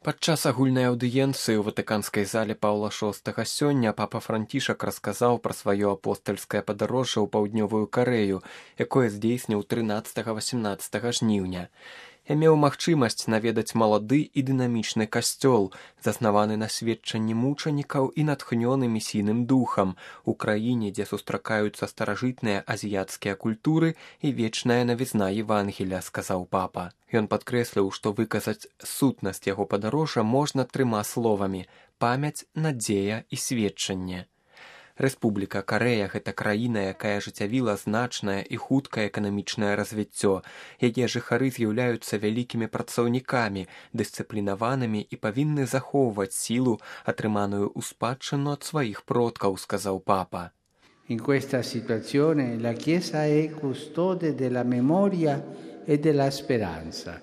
Падчас агульнай аўдыенцыі ў ватыканскай зале Паўла VI сёння папа Францішак расказаў пра сваё апостальскае падарожжа ў паўднёвую Карэю, якое здзейсніў 13-18 жніўня. Я меў магчымасць наведаць малады і дынамічны касцёл, заснаваны на сведчанні мучанікаў і натхнёны місійным духам, у краіне, дзе сустракаюцца старажытныя азіяцкія культуры і вечная навізна Евангелля, сказаў папа. Ён падкрэсліў, што выказаць сутнасць яго падарожжа можна 3 словамі: памяць, надзея і сведчанне. Рэспубліка Карэя – гэта краіна, якая ажыццявіла значнае і хуткае эканамічнае развіццё. Яе жыхары з'яўляюцца вялікімі працаўнікамі, дысцыплінаванымі і павінны захоўваць сілу, атрыманую ў спадчыну ад сваіх продкаў, сказаў папа. In questa situazione la Chiesa è custode della memoria e della speranza.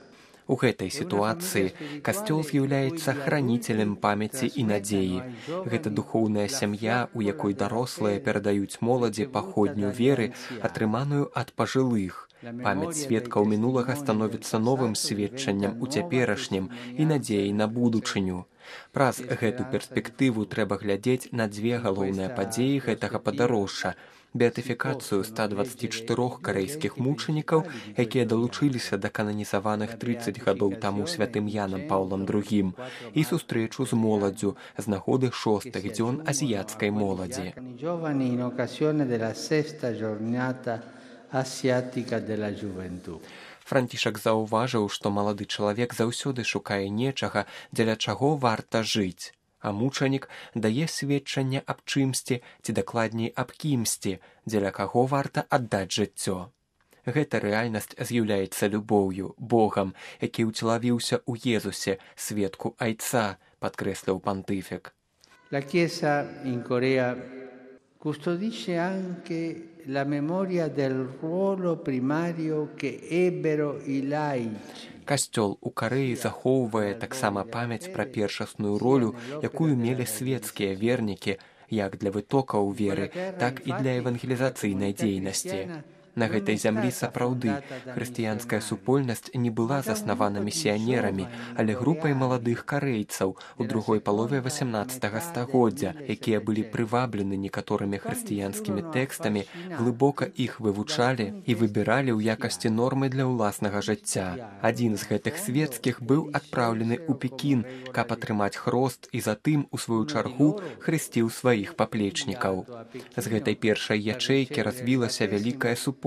У гэтай сітуацыі касцёл з'яўляецца храніцелем памяці і надзеі. Гэта духоўная сям'я, у якой дарослыя перадаюць моладзі паходню веры, атрыманую ад пажылых. Памяць сведкаў мінулага становіцца новым сведчаннем у цяперашнім і надзеяй на будучыню. Праз гэту перспектыву трэба глядзець на 2 галоўныя падзеі гэтага падарожжа: беатыфікацыю 124 карэйскіх мучанікаў, якія далучыліся да кананізаваных 30 гадоў таму святым Янам Паўлам II, і сустрэчу з моладдзю з нагоды 6-х дзён азіяцкай моладзі. Францішак заўважыў, што малады чалавек заўсёды шукае нечага, дзеля чаго варта жыць. А мучанік дае сведчанне аб чымсьці, ці дакладней аб кімсьці, дзеля каго варта аддаць жыццё. Гэта рэальнасць з'яўляецца любоўю, Богам, які ўцелавіўся ў Езусе, сведку айца, падкрэсліў пантыфік. La Chiesa in Corea custodisce anche la memoria del ruolo primario che ebbero i laici. Касцёл у Карэі захоўвае таксама памяць пра першасную ролю, якую мелі свецкія вернікі, як для вытокаў веры, так і для евангелізацыйнай дзейнасці. На гэтай зямлі сапраўды хрысціянская супольнасць не была заснавана місіянерамі, але групай маладых карэйцаў у другой палове 18 стагоддзя, якія былі прываблены некаторымі хрысціянскімі тэкстамі, глыбока іх вывучалі і выбіралі ў якасці нормы для ўласнага жыцця. Адзін з гэтых свецкіх быў адпраўлены ў Пекін, каб атрымаць хрост, і затым, у сваю чаргу, хрысціў сваіх паплечнікаў. З гэтай першай ячэйкі развілася вялікая супольнасць,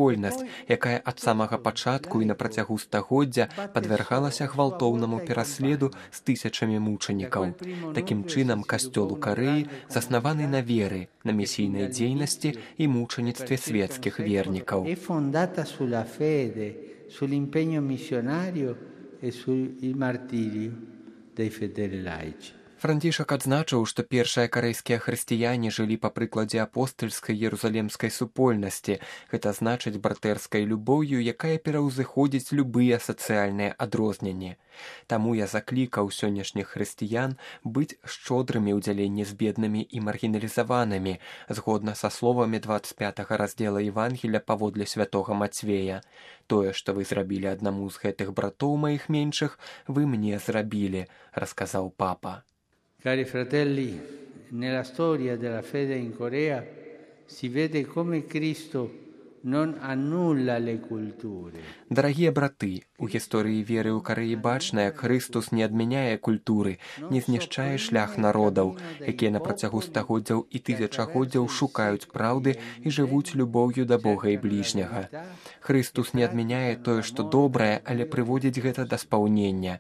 якая ад самага пачатку і на працягу стагоддзя падвяргалася гвалтоўнаму пераследу з тысячамі мучанікаў. Такім чынам, касцёл у Карэі заснаваны на веры, на місійнай дзейнасці і мучаніцтве свецкіх вернікаў. Sull'impegno missionario e sul martirio dei fedeli laici. Францішак адзначыў, што першыя карэйскія хрысціяне жылі па прыкладзе апостальскай ерузалемскай супольнасці, гэта значыць братэрскай любоўю, якая пераўзыходзіць любыя сацыяльныя адрозненні. Таму я заклікаў сённяшніх хрысціян быць шчодрымі ў дзяленні з беднымі і маргіналізаванымі, згодна са словамі 25 раздзела Евангелля паводле святога Мацвея. Тое, што вы зрабілі аднаму з гэтых братоў маіх меншых, вы мне зрабілі, расказаў папа. Cari fratelli, nella storia della fede in Corea si vede come Cristo non annulla le culture. Дарагія браты, у гісторыі веры ў Карэі бачна, як Хрыстус не адмяняе культуры, не знішчае шлях народаў, якія на працягу стагоддзяў і тысячагоддзяў шукаюць праўды і жывуць любоўю да Бога і бліжняга. Хрыстус не адмяняе тое, што добрае, але прыводзіць гэта да спаўнення.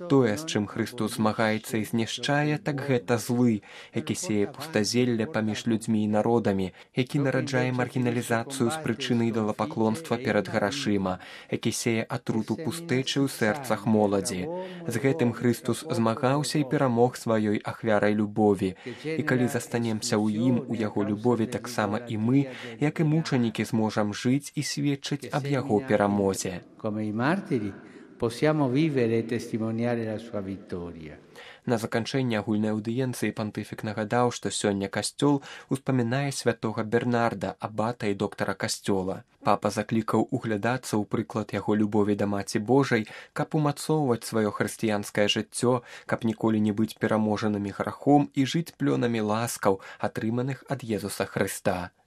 Тое, з чым Хрыстус змагаецца і знішчае, так гэта злы, які сее пустазелле паміж людзьмі і народамі, які нараджае маргіналізацыю з прычын ідалапаклонства перад грашыма, які сее атруту пустэчы ў сэрцах моладзі. З гэтым Хрыстус змагаўся і перамог сваёй ахвярай любові. І калі застанемся ў ім, у яго любові, таксама і мы, як і мучанікі, зможам жыць і сведчыць аб яго перамозе. Come i martiri possiamo vivere e testimoniare la sua vittoria. На заканчэнне агульнай аўдыенцыі пантыфік нагадаў, што сёння касцёл успамінае святога Бернарда, абата і доктара касцёла. Папа заклікаў углядацца ў прыклад яго любові да Маці Божай, каб умацоўваць сваё хрысціянскае жыццё, каб ніколі не быць пераможанымі грахом і жыць плёнамі ласкаў, атрыманых ад Езуса Хрыста.